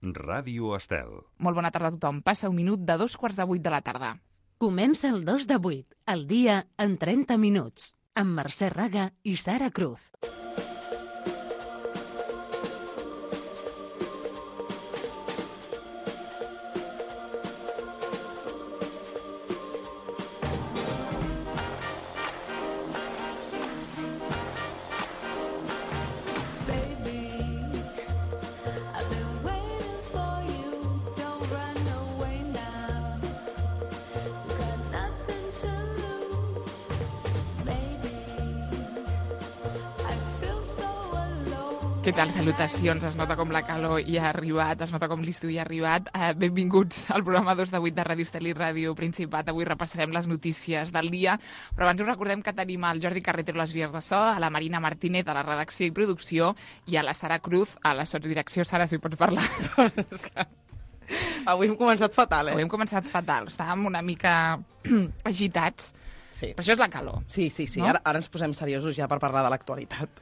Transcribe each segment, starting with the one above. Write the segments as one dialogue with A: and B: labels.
A: Ràdio Estel.
B: Molt bona tarda a tothom. Passa un minut de 7:45 de la tarda.
C: Comença el 2 de 8, el dia en 30 minuts, amb Mercè Raga i Sara Cruz.
B: Què tal? Salutacions. Es nota com la calor hi ha arribat, es nota com l'estiu hi ha arribat. Benvinguts al programa 2 de 8 de Ràdio Estel i Ràdio Principat. Avui repassarem les notícies del dia, però abans us recordem que tenim el Jordi Carretero a les vies de so, a la Marina Martínez a la redacció i producció i a la Sara Cruz a la sotsdirecció. Sara, si pots parlar.
D: Avui hem començat fatal,
B: Avui hem començat fatal. Estàvem una mica agitats.
D: Sí.
B: Però això és la calor.
D: Sí.
B: No?
D: Ara ens posem seriosos ja per parlar de l'actualitat.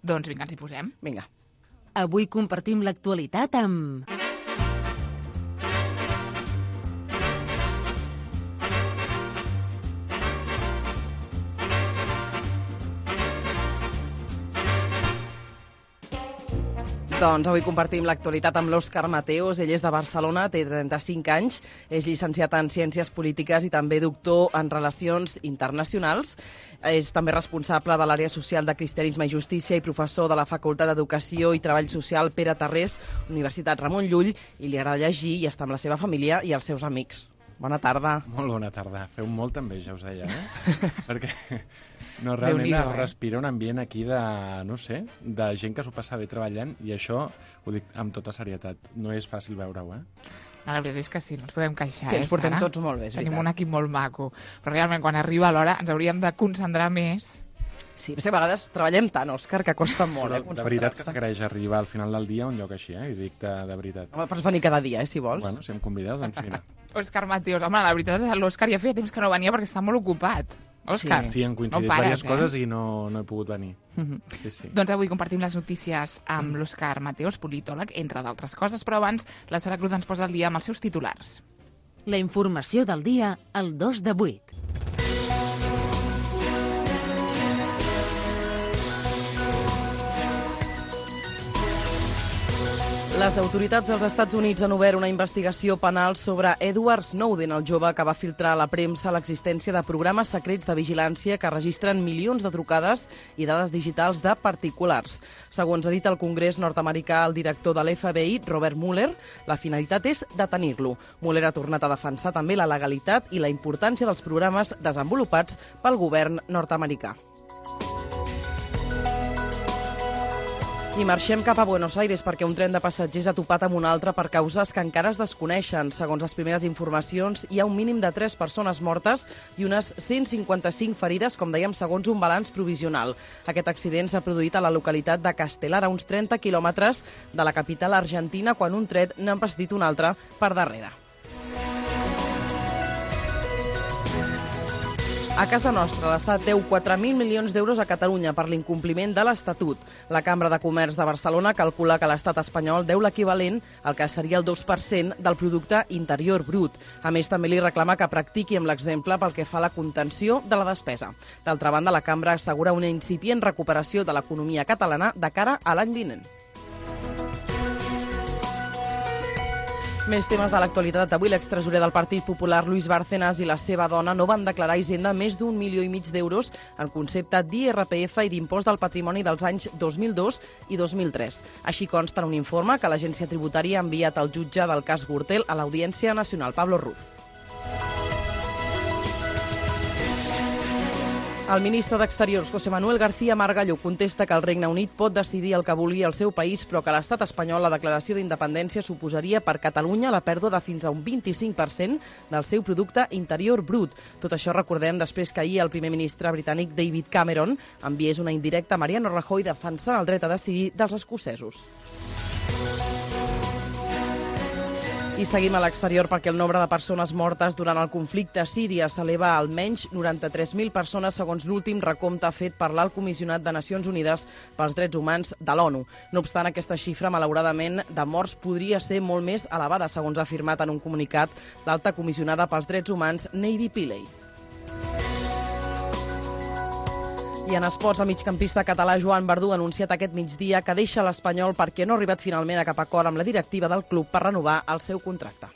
B: Doncs vinga, ens hi posem.
D: Vinga.
C: Avui compartim l'actualitat amb...
D: Doncs avui compartim l'actualitat amb l'Òscar Mateos. Ell és de Barcelona, té 35 anys, és llicenciat en Ciències Polítiques i també doctor en Relacions Internacionals. És també responsable de l'àrea social de Cristianisme i Justícia i professor de la Facultat d'Educació i Treball Social Pere Tarrés, Universitat Ramon Llull, i li agrada llegir i està amb la seva família i els seus amics. Bona tarda.
E: Molt bona tarda. Feu molta enveja, us deia, Perquè no, realment respira un ambient aquí de, no sé, de gent que s'ho passa bé treballant i això ho dic amb tota serietat. No és fàcil veure-ho,
B: No, la veritat és que sí, no ens podem queixar,
D: Sí, ens portem
B: Sara?
D: tots molt bé, és
B: Tenim
D: veritat.
B: un equip molt maco, però realment quan arriba l'hora ens hauríem de concentrar més.
D: Sí, a vegades treballem tant, Òscar, que costa molt,
E: Però de veritat que s'agraeix arribar al final del dia a un lloc així, I dic de veritat.
D: Home, pots venir cada dia, si vols.
E: Bueno, si em convideu, doncs mira.
B: Òscar Mateos, home, la veritat és que l'Òscar ja feia temps que no venia perquè està molt ocupat. Òscar,
E: Sí, han coincidit
B: no pares,
E: diverses coses i no he pogut venir. Sí.
B: Doncs avui compartim les notícies amb l'Òscar Mateos, politòleg, entre d'altres coses, però abans la Sara Cruz ens posa al dia amb els seus titulars.
C: La informació del dia al 2 de 8.
D: Les autoritats dels Estats Units han obert una investigació penal sobre Edward Snowden, el jove que va filtrar a la premsa l'existència de programes secrets de vigilància que registren milions de trucades i dades digitals de particulars. Segons ha dit el Congrés nord-americà el director de l'FBI, Robert Mueller, la finalitat és detenir-lo. Mueller ha tornat a defensar també la legalitat i la importància dels programes desenvolupats pel govern nord-americà. I marxem cap a Buenos Aires perquè un tren de passatgers ha topat amb un altre per causes que encara es desconeixen. Segons les primeres informacions, hi ha un mínim de 3 persones mortes i unes 155 ferides, com dèiem, segons un balanç provisional. Aquest accident s'ha produït a la localitat de Castelar, a uns 30 quilòmetres de la capital argentina, quan un tren n'ha embestit un altre per darrere. A casa nostra, l'Estat deu 4.000 milions d'euros a Catalunya per l'incompliment de l'Estatut. La Cambra de Comerç de Barcelona calcula que l'estat espanyol deu l'equivalent al que seria el 2% del producte interior brut. A més, també li reclama que practiqui amb l'exemple pel que fa a la contenció de la despesa. D'altra banda, la Cambra assegura una incipient recuperació de l'economia catalana de cara a l'any vinent. Més temes de l'actualitat. Avui l'extresorer del Partit Popular, Luis Bárcenas, i la seva dona no van declarar a Hisenda més d'1,5 milió d'euros en concepte d'IRPF i d'impost del patrimoni dels anys 2002 i 2003. Així consta en un informe que l'Agència Tributària ha enviat al jutge del cas Gürtel a l'Audiència Nacional, Pablo Ruz. El ministre d'Exteriors, José Manuel García Margallo, contesta que el Regne Unit pot decidir el que vulgui al seu país, però que a l'estat espanyol la declaració d'independència suposaria per Catalunya la pèrdua de fins a un 25% del seu producte interior brut. Tot això recordem després que ahir el primer ministre britànic David Cameron enviés una indirecta a Mariano Rajoy defensant el dret a decidir dels escocesos. I seguim a l'exterior perquè el nombre de persones mortes durant el conflicte a Síria s'eleva a almenys 93.000 persones segons l'últim recompte fet per l'Alt Comissionat de Nacions Unides pels Drets Humans de l'ONU. No obstant, aquesta xifra, malauradament, de morts podria ser molt més elevada, segons ha afirmat en un comunicat l'alta comissionada pels Drets Humans, Navy Pillay. I en esports, el migcampista català Joan Verdú ha anunciat aquest migdia que deixa l'Espanyol perquè no ha arribat finalment a cap acord amb la directiva del club per renovar el seu contracte.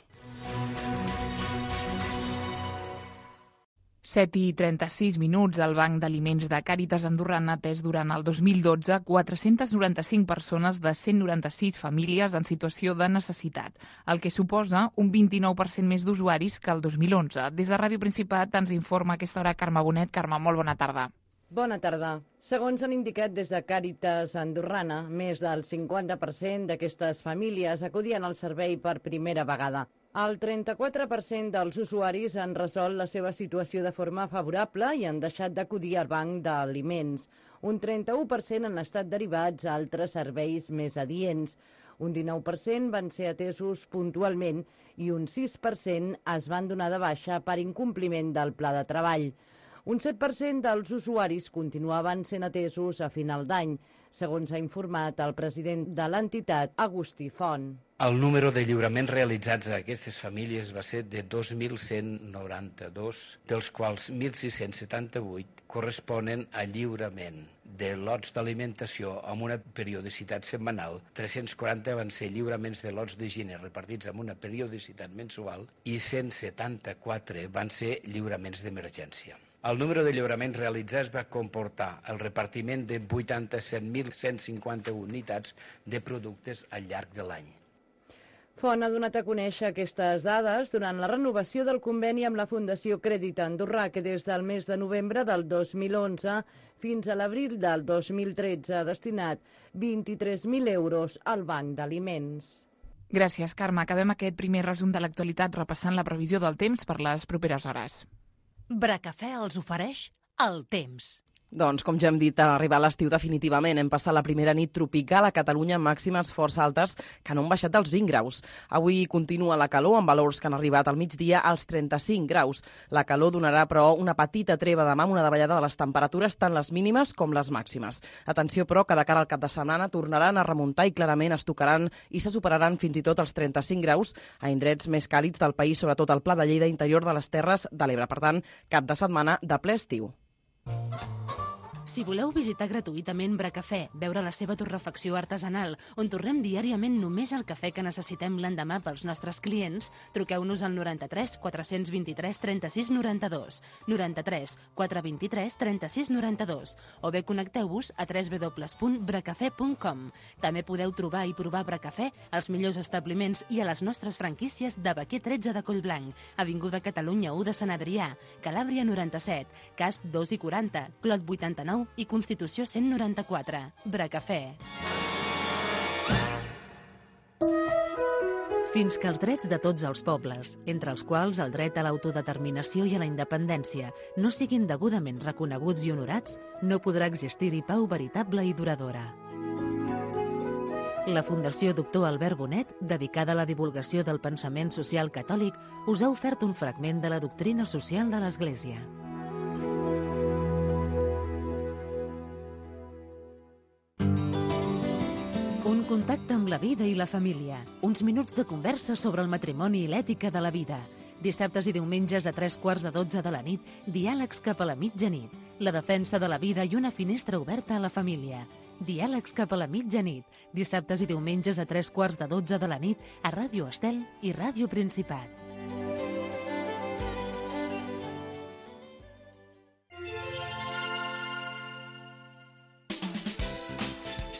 B: 7:36 minuts. El Banc d'Aliments de Càritas Andorra ha atès durant el 2012 495 persones de 196 famílies en situació de necessitat, el que suposa un 29% més d'usuaris que el 2011. Des de Ràdio Principat ens informa a aquesta hora Carme Bonet. Carme, molt bona tarda.
A: Bona tarda. Segons han indicat des de Càritas Andorrana, més del 50% d'aquestes famílies acudien al servei per primera vegada. El 34% dels usuaris han resolt la seva situació de forma favorable i han deixat d'acudir al banc d'aliments. Un 31% han estat derivats a altres serveis més adients. Un 19% van ser atesos puntualment i un 6% es van donar de baixa per incompliment del pla de treball. Un 7% dels usuaris continuaven sent atesos a final d'any, segons ha informat el president de l'entitat, Agustí Font.
F: El número de lliuraments realitzats a aquestes famílies va ser de 2.192, dels quals 1.678 corresponen a lliurament de lots d'alimentació amb una periodicitat setmanal, 340 van ser lliuraments de lots d'higiene repartits amb una periodicitat mensual i 174 van ser lliuraments d'emergència. El número de lliuraments realitzats va comportar el repartiment de 87.150 unitats de productes al llarg de l'any.
A: Font ha donat a conèixer aquestes dades durant la renovació del conveni amb la Fundació Crèdit Andorrà, que des del mes de novembre del 2011 fins a l'abril del 2013 ha destinat 23.000 euros al Banc d'Aliments.
B: Gràcies, Carme. Acabem aquest primer resum de l'actualitat repassant la previsió del temps per les properes hores.
C: Bracafè els ofereix el temps.
D: Doncs, com ja hem dit, ha arribat l'estiu definitivament. Hem passat la primera nit tropical a Catalunya amb màximes força altes que no han baixat dels 20 graus. Avui continua la calor amb valors que han arribat al migdia als 35 graus. La calor donarà, però, una petita treva demà amb una davallada de les temperatures, tant les mínimes com les màximes. Atenció, però, que de cara al cap de setmana tornaran a remuntar i clarament es tocaran i se superaran fins i tot els 35 graus a indrets més càlids del país, sobretot al Pla de Lleida, interior de les Terres de l'Ebre. Per tant, cap de setmana de ple estiu.
C: Si voleu visitar gratuïtament Bracafè, veure la seva torrefacció artesanal, on tornem diàriament només el cafè que necessitem l'endemà pels nostres clients, truqueu-nos al 93 423 36 92, 93 423 36 92, o bé connecteu-vos a www.bracafè.com. També podeu trobar i provar Bracafè als millors establiments i a les nostres franquícies de Baquer 13 de Collblanc, Avinguda Catalunya 1 de Sant Adrià, Calàbria 97, Casp 2 i 40, Clot 89 i Constitució 194. Bracafè. Fins que els drets de tots els pobles, entre els quals el dret a l'autodeterminació i a la independència, no siguin degudament reconeguts i honorats, no podrà existir-hi pau veritable i duradora. La Fundació Doctor Albert Bonet, dedicada a la divulgació del pensament social catòlic, us ha ofert un fragment de la doctrina social de l'Església. Un contacte amb la vida i la família. Uns minuts de conversa sobre el matrimoni i l'ètica de la vida. Dissabtes i diumenges a 3:15 de la nit, diàlegs cap a la mitjanit. La defensa de la vida i una finestra oberta a la família. Diàlegs cap a la mitjanit. Dissabtes i diumenges a 3:15 de la nit a Ràdio Estel i Ràdio Principat.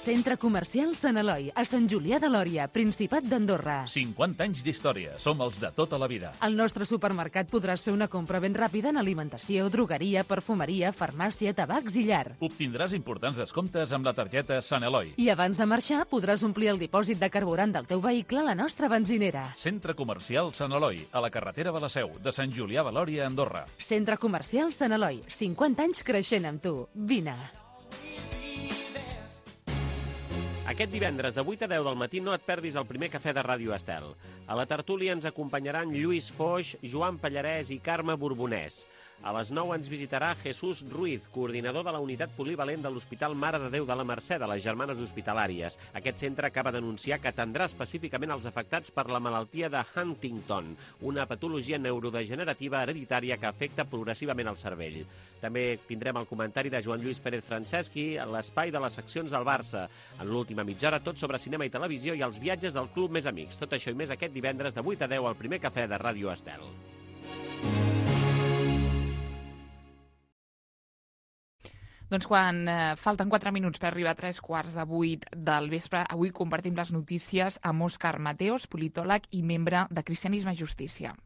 C: Centre Comercial Sant Eloi, a Sant Julià de Lòria, Principat d'Andorra.
G: 50 anys d'història. Som els de tota la vida.
C: Al nostre supermercat podràs fer una compra ben ràpida en alimentació, drogueria, perfumeria, farmàcia, tabacs i llar.
G: Obtindràs importants descomptes amb la targeta Sant Eloi.
C: I abans de marxar podràs omplir el dipòsit de carburant del teu vehicle a la nostra benzinera.
G: Centre Comercial Sant Eloi, a la carretera de la Seu, de Sant Julià de Lòria, Andorra.
C: Centre Comercial Sant Eloi, 50 anys creixent amb tu. Vine.
H: Aquest divendres de 8 a 10 del matí no et perdis el primer cafè de Ràdio Estel. A la tertúlia ens acompanyaran Lluís Foix, Joan Pallarès i Carme Borbonès. A les 9 ens visitarà Jesús Ruiz, coordinador de la unitat polivalent de l'Hospital Mare de Déu de la Mercè de les Germanes Hospitalàries. Aquest centre acaba d'anunciar que atendrà específicament els afectats per la malaltia de Huntington, una patologia neurodegenerativa hereditària que afecta progressivament el cervell. També tindrem el comentari de Joan Lluís Pérez Franceschi a l'espai de les seccions del Barça. En l'última mitja hora, tot sobre cinema i televisió i els viatges del Club Més Amics. Tot això i més aquest divendres de 8 a 10 al primer cafè de Ràdio Estel.
B: Doncs quan falten 4 minuts per arribar a 7:45 del vespre, avui compartim les notícies amb Òscar Mateos, politòleg i membre de Cristianisme i Justícia.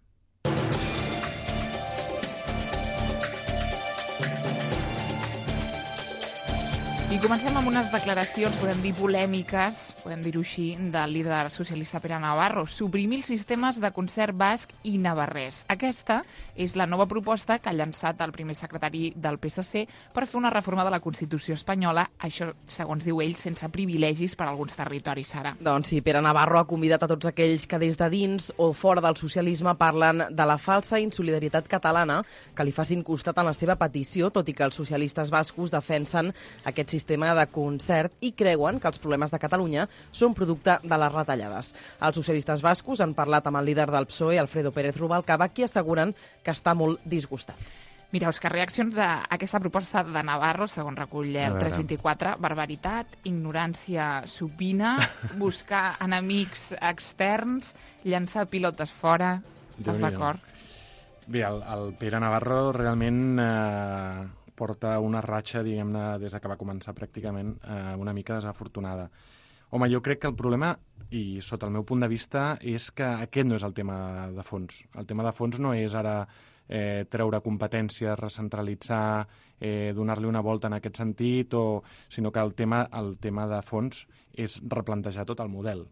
B: I comencem amb unes declaracions, podem dir polèmiques, podem dir-ho així, del líder socialista Pere Navarro. Suprimir els sistemes de concert basc i navarrès. Aquesta és la nova proposta que ha llançat el primer secretari del PSC per fer una reforma de la Constitució espanyola, això, segons diu ell, sense privilegis per a alguns territoris, Sara.
D: Doncs sí, Pere Navarro ha convidat a tots aquells que des de dins o fora del socialisme parlen de la falsa insolidaritat catalana que li facin costat en la seva petició, tot i que els socialistes bascos defensen aquest sistema de concert i creuen que els problemes de Catalunya són producte de les retallades. Els socialistes bascos han parlat amb el líder del PSOE, Alfredo Pérez Rubalcaba, qui asseguren que està molt disgustat.
B: Mira, Òscar, reaccions a aquesta proposta de Navarro, segons recull el 324, barbaritat, ignorància supina, buscar enemics externs, llançar pilotes fora. Estàs d'acord?
E: Bé, el Pere Navarro realment porta una ratxa, diguem-ne, des que va començar pràcticament una mica desafortunada. Home, jo crec que el problema, i sota el meu punt de vista, és que aquest no és el tema de fons. El tema de fons no és ara treure competències, recentralitzar, donar-li una volta en aquest sentit, sinó que el tema de fons és replantejar tot el model.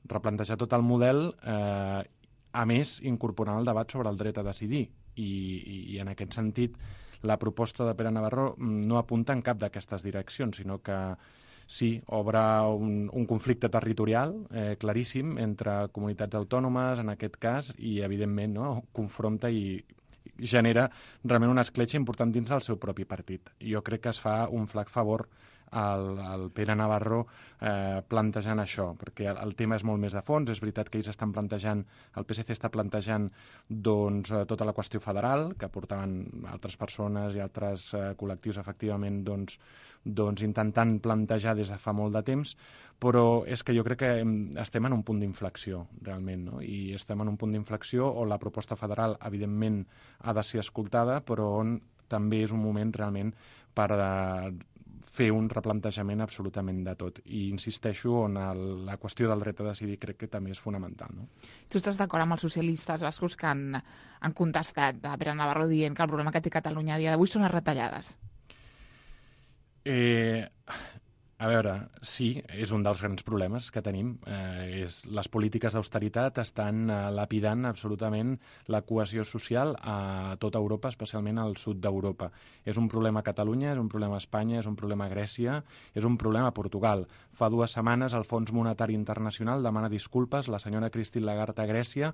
E: Replantejar tot el model, a més, incorporant el debat sobre el dret a decidir. I en aquest sentit, la proposta de Pere Navarro no apunta en cap d'aquestes direccions, sinó que sí, obre un conflicte territorial claríssim entre comunitats autònomes, en aquest cas, i evidentment confronta i genera realment una escletxa important dins del seu propi partit. Jo crec que es fa un flac favor al Pere Navarro plantejant això, perquè el tema és molt més de fons. És veritat que ells estan plantejant, el PSC està plantejant doncs, tota la qüestió federal, que portaven altres persones i altres col·lectius efectivament doncs, intentant plantejar des de fa molt de temps, però és que jo crec que estem en un punt d'inflexió, realment, no? I estem en un punt d'inflexió on la proposta federal, evidentment, ha de ser escoltada, però on també és un moment realment per fer un replantejament absolutament de tot. I insisteixo on la qüestió del dret a decidir crec que també és fonamental. No?
B: Tu estàs d'acord amb els socialistes bascos que han contestat a Pere Navarro dient que el problema que té Catalunya a dia d'avui són les retallades?
E: A veure, sí, és un dels grans problemes que tenim. Les polítiques d'austeritat estan lapidant absolutament la cohesió social a tota Europa, especialment al sud d'Europa. És un problema a Catalunya, és un problema a Espanya, és un problema a Grècia, és un problema a Portugal. Fa 2 setmanes el Fons Monetari Internacional demana disculpes la senyora Christine Lagarde a Grècia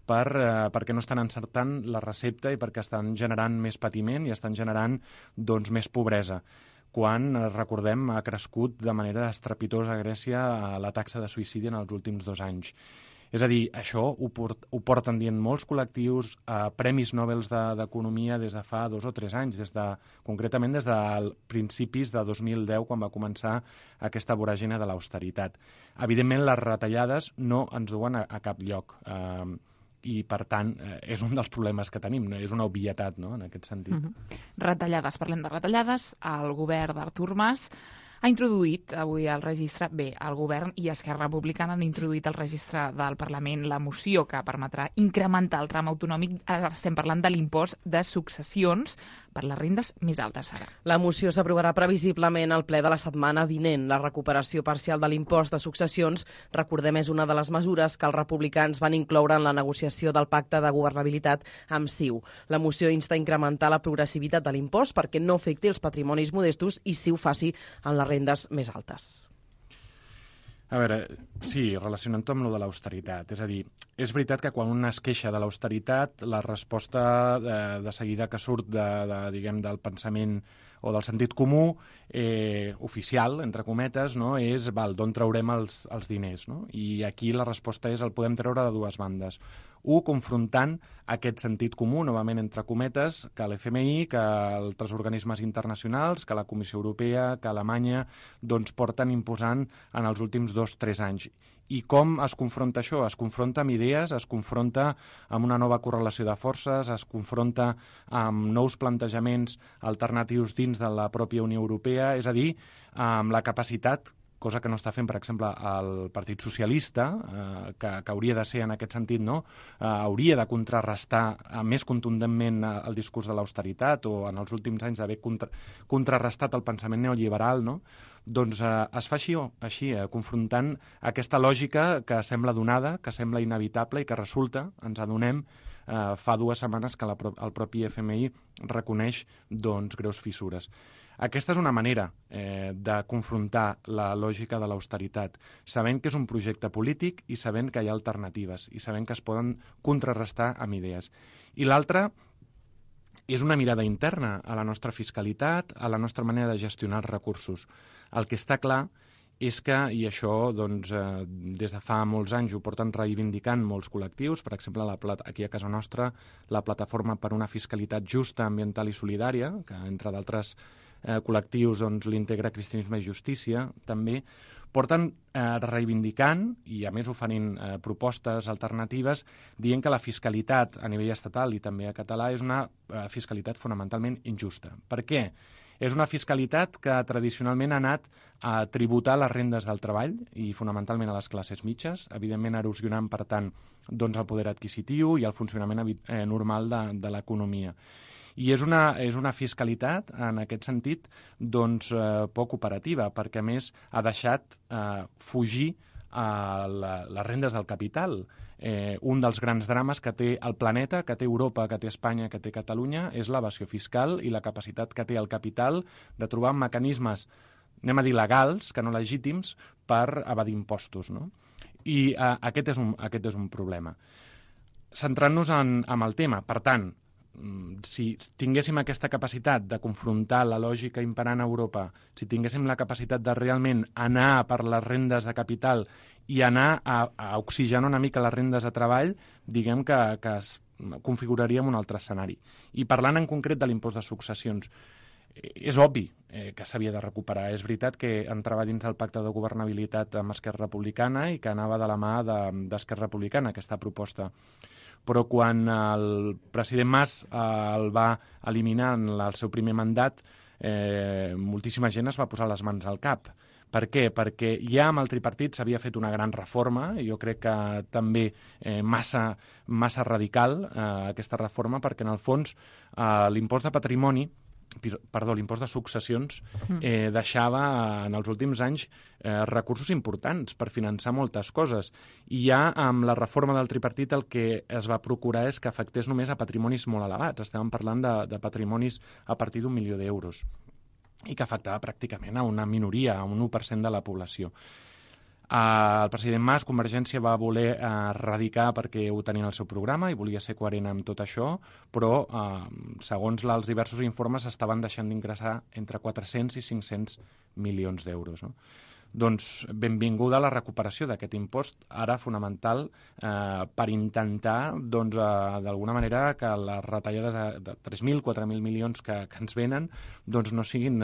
E: perquè no estan encertant la recepta i perquè estan generant més patiment i estan generant doncs, més pobresa. Quan, recordem, ha crescut de manera estrepitosa a Grècia la taxa de suïcidi en els últims 2 anys. És a dir, això ho porten dient molts col·lectius, premis Nobel d'Economia des de fa 2 o 3 anys, concretament des de principis de 2010, quan va començar aquesta voràgina de l'austeritat. Evidentment, les retallades no ens duen a cap lloc. I, per tant, és un dels problemes que tenim, és una obvietat, no?, en aquest sentit.
B: Retallades, parlem de retallades. El govern d'Artur Mas ha introduït avui al registre, el govern i Esquerra Republicana han introduït al registre del Parlament la moció que permetrà incrementar el tram autonòmic. Ara estem parlant de l'impost de successions per les rendes més altes, Sara.
D: La moció s'aprovarà previsiblement al ple de la setmana vinent. La recuperació parcial de l'impost de successions, recordem, és una de les mesures que els republicans van incloure en la negociació del pacte de governabilitat amb CiU. La moció insta a incrementar la progressivitat de l'impost perquè no afecti els patrimonis modestos i sí ho faci en les rendes més altes.
E: A veure, sí, relacionant-ho amb lo de l'austeritat. És a dir, és veritat que quan un es queixa de l'austeritat, la resposta de seguida que surt diguem, del pensament o del sentit comú oficial, entre cometes, no? És d'on traurem els diners. No? I aquí la resposta és el podem treure de dues bandes. Confrontant aquest sentit comú, novament entre cometes, que l'FMI, que altres organismes internacionals, que la Comissió Europea, que Alemanya, doncs porten imposant en els últims 2-3 anys. I com es confronta això? Es confronta amb idees, es confronta amb una nova correlació de forces, es confronta amb nous plantejaments alternatius dins de la pròpia Unió Europea, és a dir, amb la capacitat, cosa que no està fent, per exemple, el Partit Socialista, que hauria de ser en aquest sentit, no? Hauria de contrarrestar més contundentment el discurs de l'austeritat o en els últims anys d'haver contrarrestat el pensament neoliberal, no? Doncs es fa així, confrontant aquesta lògica que sembla donada, que sembla inevitable i que resulta, ens adonem, fa 2 setmanes que el propi FMI reconeix doncs, greus fissures. Aquesta és una manera de confrontar la lògica de l'austeritat, sabent que és un projecte polític i sabent que hi ha alternatives i sabent que es poden contrarrestar amb idees. I l'altra és una mirada interna a la nostra fiscalitat, a la nostra manera de gestionar els recursos. El que està clar és que, i això doncs, des de fa molts anys ho porten reivindicant molts col·lectius, per exemple aquí a casa nostra la Plataforma per una Fiscalitat Justa, Ambiental i Solidària, que entre d'altres col·lectius doncs, l'integra Cristianisme i Justícia, també porten reivindicant i a més oferint propostes alternatives dient que la fiscalitat a nivell estatal i també a català és una fiscalitat fonamentalment injusta. Per què? És una fiscalitat que tradicionalment ha anat a tributar les rendes del treball i fonamentalment a les classes mitges, evidentment erosionant, per tant, doncs, el poder adquisitiu i el funcionament normal de l'economia. I és una fiscalitat, en aquest sentit, doncs, poc operativa, perquè a més ha deixat fugir les rendes del capital. Un dels grans drames que té el planeta, que té Europa, que té Espanya, que té Catalunya, és l'evasió fiscal i la capacitat que té el capital de trobar mecanismes, anem a dir legals, que no legítims, per evadir impostos. No? I aquest és un problema. Centrant-nos en el tema, per tant, si tinguéssim aquesta capacitat de confrontar la lògica imperant a Europa, si tinguéssim la capacitat de realment anar per les rendes de capital i anar a oxigenar una mica les rendes de treball, diguem que es configuraríem un altre escenari. I parlant en concret de l'impost de successions, és obvi que s'havia de recuperar. És veritat que entrava dins del pacte de governabilitat amb Esquerra Republicana i que anava de la mà d'Esquerra Republicana, aquesta proposta. Però quan el president Mas el va eliminar en el seu primer mandat, moltíssima gent es va posar les mans al cap. Per què? Perquè ja amb el tripartit s'havia fet una gran reforma, i jo crec que també massa radical aquesta reforma, perquè en el fons l'impost de patrimoni, l'impost de successions deixava en els últims anys recursos importants per finançar moltes coses. I ja amb la reforma del tripartit el que es va procurar és que afectés només a patrimonis molt elevats. Estàvem parlant de patrimonis a partir d'1 milió d'euros i que afectava pràcticament a una minoria, a un 1% de la població. El president Mas, Convergència, va voler erradicar perquè ho tenia en el seu programa i volia ser coherent amb tot això, però segons els diversos informes estaven deixant d'ingressar entre 400 i 500 milions d'euros. No? Doncs benvinguda a la recuperació d'aquest impost, ara fonamental per intentar doncs, d'alguna manera que les retallades de 3.000, 4.000 milions que ens venen doncs, no siguin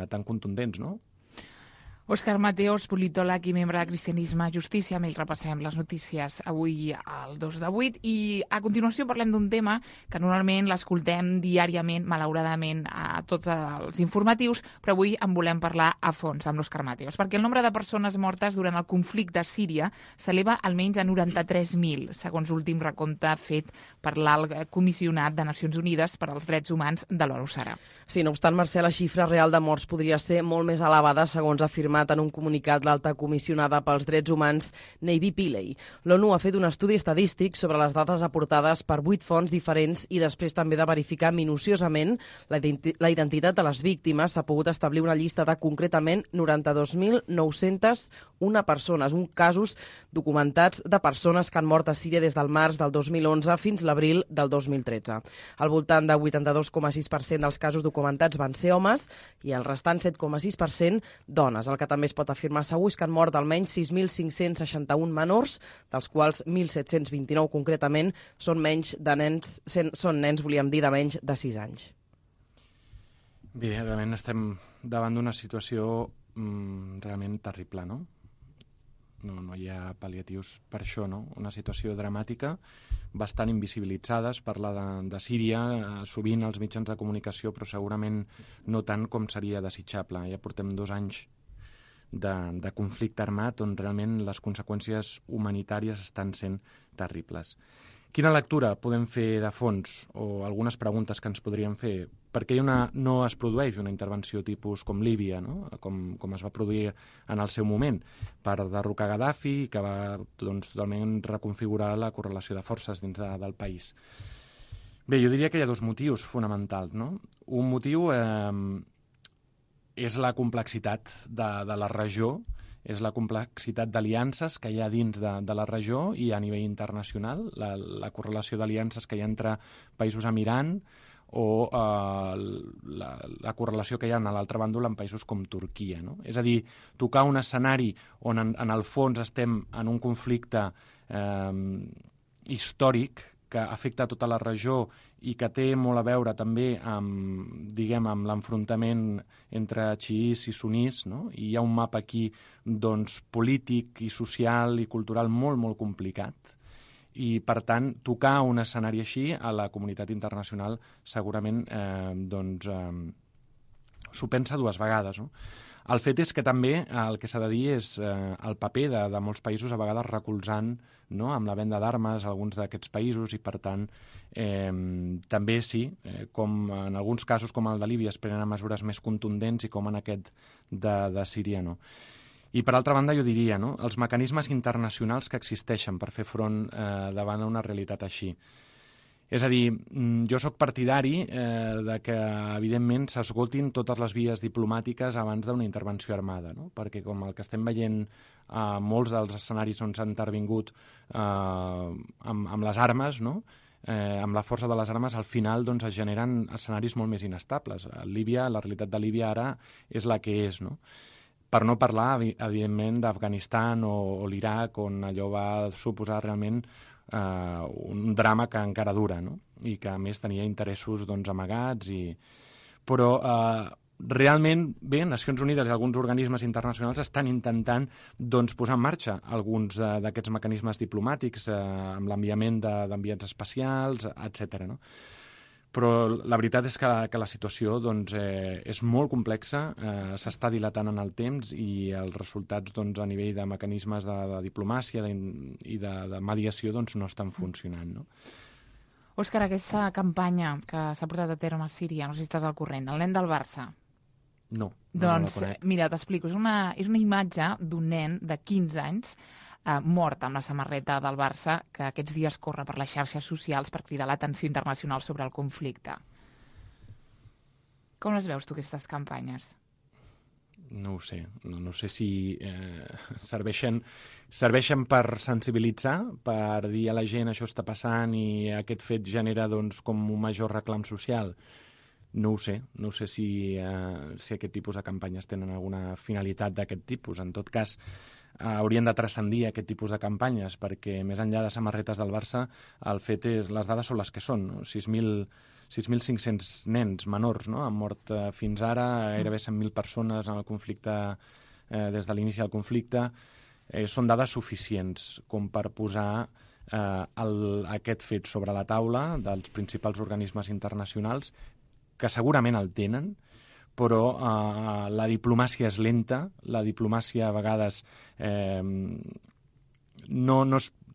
E: tan contundents, no?
B: Òscar Mateos, politòleg i membre de Cristianisme i Justícia. Amb ell repassem les notícies avui al 2 de 8 i a continuació parlem d'un tema que normalment l'escoltem diàriament, malauradament, a tots els informatius, però avui en volem parlar a fons amb l'Òscar Mateos, perquè el nombre de persones mortes durant el conflicte a Síria s'eleva almenys a 93.000, segons l'últim recompte fet per l'Alt Comissionat de Nacions Unides per als Drets Humans de l'ONU.
D: Sí, no obstant, Mercè, la xifra real de morts podria ser molt més elevada, segons ha afirmat demanat en un comunicat l'alta comissionada pels drets humans Navy Pillay. L'ONU ha fet un estudi estadístic sobre les dades aportades per 8 fonts diferents i després també de verificar minuciosament la identitat de les víctimes. S'ha pogut establir una llista de concretament 92.901 persones, uns casos documentats de persones que han mort a Síria des del març del 2011 fins l'abril del 2013. Al voltant de 82,6% dels casos documentats van ser homes i el restant 7,6% dones. El que també es pot afirmar segur és que han mort almenys 6.561 menors, dels quals 1.729 concretament són nens, volíem dir, de menys de 6 anys.
E: Bé, realment estem davant d'una situació realment terrible, no? No hi ha pal·liatius per això, no? Una situació dramàtica, bastant invisibilitzada. Es parla de Síria, sovint als mitjans de comunicació, però segurament no tant com seria desitjable. Ja portem 2 anys de conflicte armat on realment les conseqüències humanitàries estan sent terribles. Quina lectura podem fer de fons, o algunes preguntes que ens podríem fer? Per què no es produeix una intervenció tipus com Líbia, no? com es va produir en el seu moment, per derrocar Gaddafi, que va totalment reconfigurar la correlació de forces dins del país? Bé, jo diria que hi ha 2 motius fonamentals, no? Un motiu és la complexitat de la regió, és la complexitat d'aliances que hi ha dins de la regió i a nivell internacional, la correlació d'aliances que hi ha entre països amb Iran o la correlació que hi ha a l'altre bàndol en països com Turquia, no? És a dir, tocar un escenari on en el fons estem en un conflicte històric que afecta tota la regió i que té molt a veure també amb l'enfrontament entre xiís i sunís, no? I hi ha un mapa aquí polític i social i cultural molt, molt complicat. I, per tant, tocar un escenari així a la comunitat internacional segurament s'ho pensa 2 vegades, no? El fet és que també el que s'ha de dir és el paper de molts països a vegades recolzant, no?, amb la venda d'armes a alguns d'aquests països i, per tant, també sí, com en alguns casos com el de Líbia es prenen mesures més contundents i com en aquest de Síria no. I, per altra banda, jo diria, no?, els mecanismes internacionals que existeixen per fer front davant una realitat així. És a dir, jo sóc partidari de que, evidentment, s'esgotin totes les vies diplomàtiques abans d'una intervenció armada, no? Perquè, com el que estem veient a molts dels escenaris on s'ha intervingut amb les armes, no?, amb la força de les armes, al final es generen escenaris molt més inestables. Líbia, la realitat de Líbia ara és la que és, no? Per no parlar, evidentment, d'Afganistan o l'Iraq, on allò va suposar realment un drama que encara dura, no? I que, a més, tenia interessos amagats. Però realment, bé, Nacions Unides i alguns organismes internacionals estan intentant posar en marxa alguns d'aquests mecanismes diplomàtics amb l'enviament d'enviats especials, etc. No? Però la veritat és que la situació és molt complexa, s'està dilatant en el temps i els resultats a nivell de mecanismes de diplomàcia i de mediació no estan funcionant. No?
B: Òscar, aquesta campanya que s'ha portat a terme a Síria, no sé si estàs al corrent, el nen del Barça.
E: No,
B: doncs,
E: no la conec.
B: Mira, t'explico, és una imatge d'un nen de 15 anys mort amb la samarreta del Barça, que aquests dies corre per les xarxes socials per cridar l'atenció internacional sobre el conflicte. Com les veus tu, aquestes campanyes?
E: No ho sé. No sé si serveixen per sensibilitzar, per dir a la gent això està passant i aquest fet genera com un major reclam social. No ho sé. No sé si aquest tipus de campanyes tenen alguna finalitat d'aquest tipus. En tot cas, haurien de transcendir aquest tipus de campanyes, perquè més enllà de samarretes del Barça, el fet és, les dades són les que són, no? 6.500 nens menors, no?, han mort fins ara, gairebé 100.000 persones en el conflicte, des de l'inici del conflicte. Són dades suficients com per posar aquest fet sobre la taula dels principals organismes internacionals, que segurament el tenen, però la diplomàcia és lenta, la diplomàcia a vegades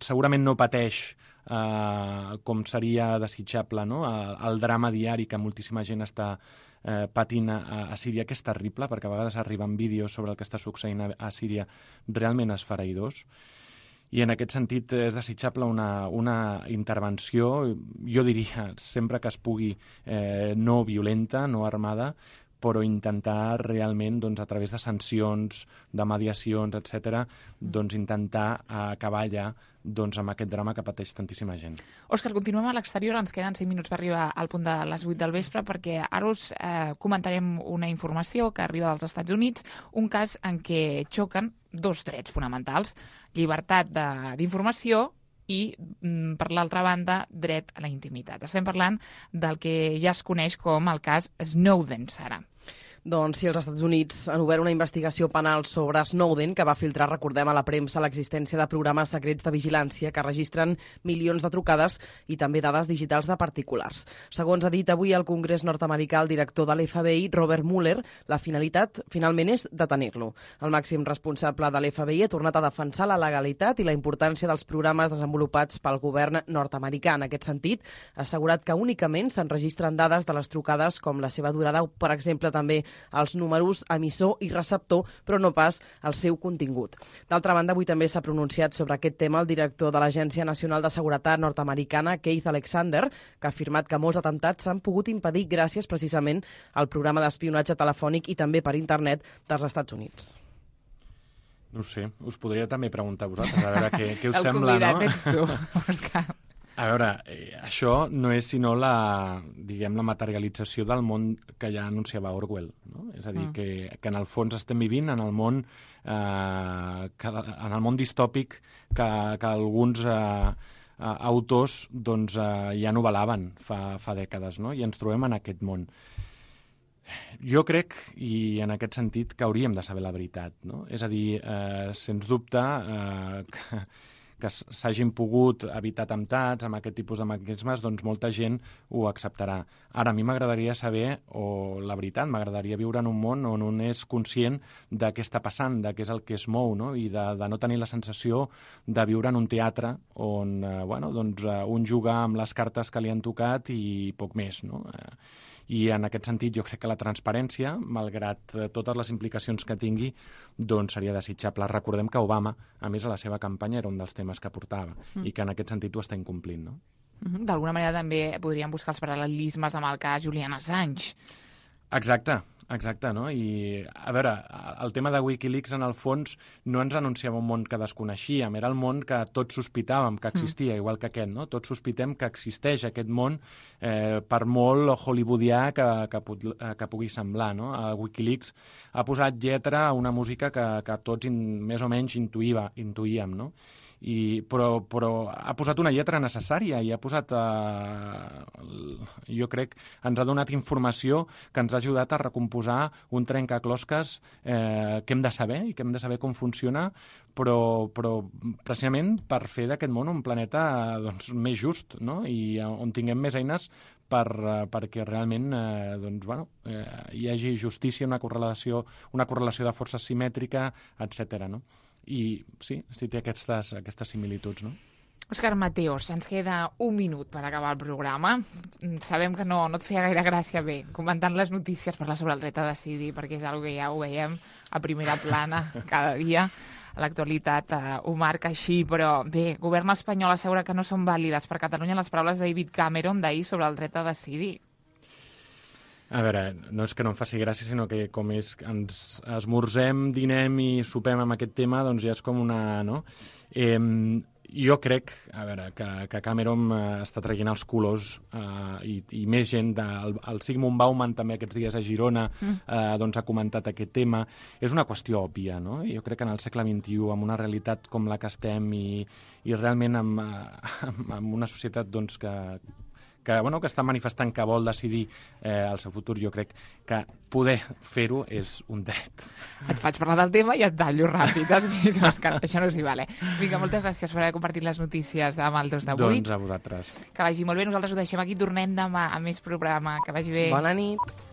E: segurament no pateix com seria desitjable, no? El drama diari que moltíssima gent està patint a Síria, que és terrible, perquè a vegades arriben vídeos sobre el que està succeint a Síria realment esfereïdors. I en aquest sentit és desitjable una intervenció, jo diria, sempre que es pugui, no violenta, no armada, però intentar realment, doncs, a través de sancions, de mediacions, etc., doncs, intentar acabar ja amb aquest drama que pateix tantíssima gent.
B: Òscar, continuem a l'exterior, ens queden 5 minuts per arribar al punt de les 8 del vespre, perquè ara us comentarem una informació que arriba dels Estats Units, un cas en què xoquen 2 drets fonamentals, llibertat d'informació i, per l'altra banda, dret a la intimitat. Estem parlant del que ja es coneix com el cas Snowden, Sara.
D: Doncs si els Estats Units han obert una investigació penal sobre Snowden, que va filtrar, recordem, a la premsa l'existència de programes secrets de vigilància que registren milions de trucades i també dades digitals de particulars. Segons ha dit avui al Congrés nord-americà el director de l'FBI, Robert Mueller, la finalitat finalment és detenir-lo. El màxim responsable de l'FBI ha tornat a defensar la legalitat i la importància dels programes desenvolupats pel govern nord-americà. En aquest sentit, ha assegurat que únicament s'enregistren dades de les trucades com la seva durada o, per exemple, també els números emissor i receptor, però no pas el seu contingut. D'altra banda, avui també s'ha pronunciat sobre aquest tema el director de l'Agència Nacional de Seguretat nord-americana, Keith Alexander, que ha afirmat que molts atemptats s'han pogut impedir gràcies precisament al programa d'espionatge telefònic i també per internet dels Estats Units.
E: No ho sé, us podria també preguntar a vosaltres, a veure què us sembla, no?
B: El convidat ets tu, Òscar.
E: A veure, això no és sinó la materialització del món que ja anunciava Orwell, no? És a dir, que en el fons estem vivint en el món distòpic que alguns autors doncs, ja novelaven fa dècades, no? I ens trobem en aquest món. Jo crec, i en aquest sentit, que hauríem de saber la veritat, no? És a dir, sens dubte, que s'hagin pogut evitar atemptats amb aquest tipus de mecanismes, doncs molta gent ho acceptarà. Ara, a mi m'agradaria saber, o la veritat, m'agradaria viure en un món on un és conscient de què està passant, de què és el que es mou, no? I de no tenir la sensació de viure en un teatre on un juga amb les cartes que li han tocat i poc més, no? I en aquest sentit jo crec que la transparència, malgrat totes les implicacions que tingui, doncs seria desitjable. Recordem que Obama, a més, a la seva campanya era un dels temes que portava i que en aquest sentit ho està incomplint, no?
B: D'alguna manera també podríem buscar els paral·lelismes amb el cas Julian Assange.
E: Exacte, no? I, a veure, el tema de Wikileaks, en el fons, no ens anunciava un món que desconeixíem, era el món que tots sospitàvem que existia, igual que aquest, no? Tots sospitem que existeix aquest món, per molt hollywoodià que pugui semblar, no? Wikileaks ha posat lletra a una música que tots més o menys intuïem, no? Però ha posat una lletra necessària i ha posat, jo crec, ens ha donat informació que ens ha ajudat a recomposar un trencaclosques que hem de saber i que hem de saber com funciona, però precisament per fer d'aquest món un planeta doncs, més just, no? I on tinguem més eines perquè realment hi hagi justícia, una correlació de forces simètrica, etc. No? I sí té aquestes similituds, no?
B: Òscar Mateos, ens queda un minut per acabar el programa. Sabem que no et feia gaire gràcia comentant les notícies, parlar sobre el dret a decidir, perquè és una cosa que ja ho veiem a primera plana cada dia. L'actualitat ho marca així, però bé, govern espanyol assegura que no són vàlides per Catalunya les paraules de David Cameron d'ahir sobre el dret a decidir.
E: A veure, no és que no em faci gràcia, sinó que com és ens esmorzem, dinem i sopem amb aquest tema, doncs ja és com una... no? Jo crec, a veure, que Cameron està traient els colors i més gent, el Sigmund Bauman també aquests dies a Girona doncs ha comentat aquest tema. És una qüestió òbvia, no? Jo crec que en el segle XXI, amb una realitat com la que estem i realment amb una societat doncs, que està manifestant que vol decidir el seu futur, jo crec que poder fer-ho és un dret.
B: Et faig parlar del tema i et tallo ràpid. Has vist, Òscar? Això no s'hi vale. Vinga, moltes gràcies per haver compartit les notícies amb el 2 de 8.
E: Doncs a vosaltres.
B: Que vagi molt bé. Nosaltres ho deixem aquí. Tornem demà a més programa. Que vagi bé.
D: Bona nit.